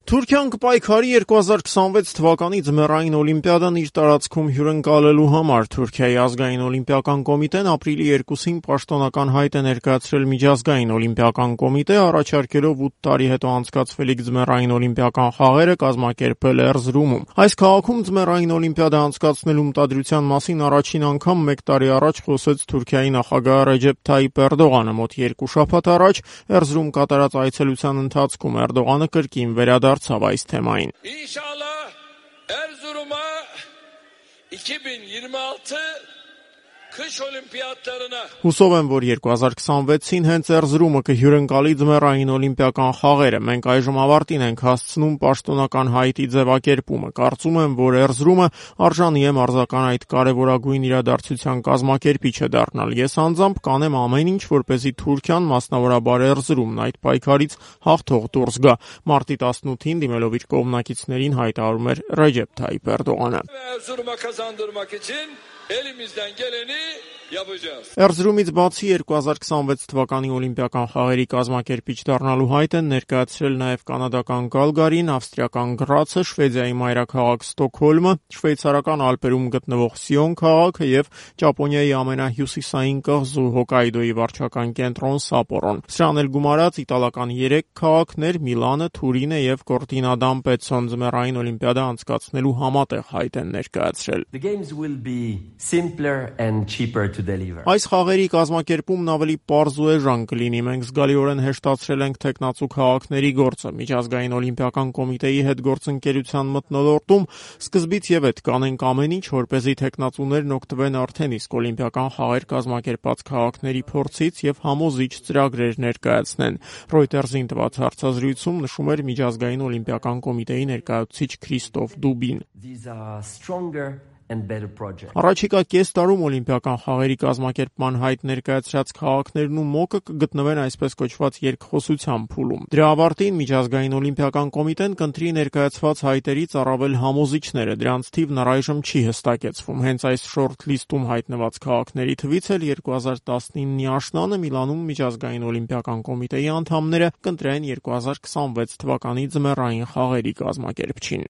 Թուրքիան կպայքարի 2026 թվականի ձմեռային օլիմպիադան իր տարածքում հյուրընկալելու համար։ Թուրքիայի ազգային օլիմպիական կոմիտեն ապրիլի 2-ին պաշտոնական հայտ է ներկայացրել միջազգային օլիմպիական կոմիտե, առաջարկելով 8 տարի հետո անցկացվելիք ձմեռային օլիմպիական խաղերը կազմակերպել Էրզրումում։ Այս քաղաքում ձմեռային օլիմպիադա անցկացնելու մտադրության մասին առաջին անգամ 1 տարի առաջ խոսեց Թուրքիայի նախագահ Ռեջեփ Թայիփ Էրդողանը։ Մոտ 2 շաբաթ առաջ Էրզրում կատարած այցելության ընթացքում Էրդողանը կրկին վերադարձավ այս թեմային։ İnşallah Erzurum'a 2026 Kış Olimpiyatlarına Հուսով եմ, որ 2026-ին հենց Էրզրումը կհյուրընկալի ձմեռային օլիմպիական խաղերը։ Մենք այժմ ավարտին ենք հասցնում պաշտոնական հայտի ձևակերպումը։ Կարծում եմ, որ Էրզրումը արժանի է մարզական այդ կարևորագույն իրադարձության կազմակերպիչը դառնալ։ Ես անձամբ կանեմ ամեն ինչ, որպեսզի Թուրքիան, մասնավորաբար Էրզրումն այդ պայքարից հաղթող դուրս գա։ Մարտի 18-ին դիմելով իր կողմնակիցներին հայտարարում էր Ռեջեփ Թայիփ Էրդողանը։ Erzurum'a kazandırmak için elimizden geleni yapacağız. Էրզրումից բացի 2026 թվականի օլիմպիական խաղերի կազմակերպիչ դառնալու հայտ են ներկայացրել նաև կանադական Գալգարին, ավստրիական Գրացը, Շվեդիայի մայրաքաղաք Ստոկհոլմը, շվեյցարական Ալպերում գտնվող Սիոն քաղաքը եւ Ճապոնիայի ամենահյուսիսային կղզու Հոկայդոյի վարչական կենտրոն Սապորոն։ Սրան էլ գումարած իտալական 3 քաղաքներ՝ Միլանը, Թուրինը եւ Կորտինա d'Ampezzo ձմեռային օլիմպիադա անցկացնելու համատեղ հայտ են ներկայացրել։ The games will be simpler and cheaper to deliver. Այս խաղերի կազմակերպումն ավելի պարզ ու էժան կլինի։ Մենք զգալիորեն հեշտացրել ենք տեխնացու քաղաքների գործը։ Միջազգային օլիմպիական կոմիտեի հետ գործընկերության մթնոլորտում սկզբից եւ հետ կանենք ամեն ինչ, որպեսզի տեխնացուներն օգտվեն արդեն իսկ օլիմպիական խաղեր կազմակերպած քաղաքների փորձից եւ համոզիչ ծրագրեր ներկայացնեն։ Reuters-ին տված հարցազրույցում նշում էր միջազգային օլիմպիական կոմիտեի ներկայացուցիչ Քրիստոֆ Դուբին։ These are stronger and better projects. Առաջիկա կես տարում օլիմպիական խաղերի կազմակերպման հայտ ներկայացրած քաղաքներն ու ՄՕԿ-ը կգտնվեն այսպես կոչված երկխոսության փուլում։ Դրա ավարտին միջազգային օլիմպիական կոմիտեն կընտրի ներկայացված հայտերից առավել համոզիչները, դրանց թիվն առայժմ չի հստակեցվում։ Հենց այս շորթ-լիստում հայտնված քաղաքների թվից էլ 2019-ի աշնանը Միլանում միջազգային օլիմպիական կոմիտեի անդամները կընտրեն 2026 թվականի ձմեռային խաղերի կազմակերպչին։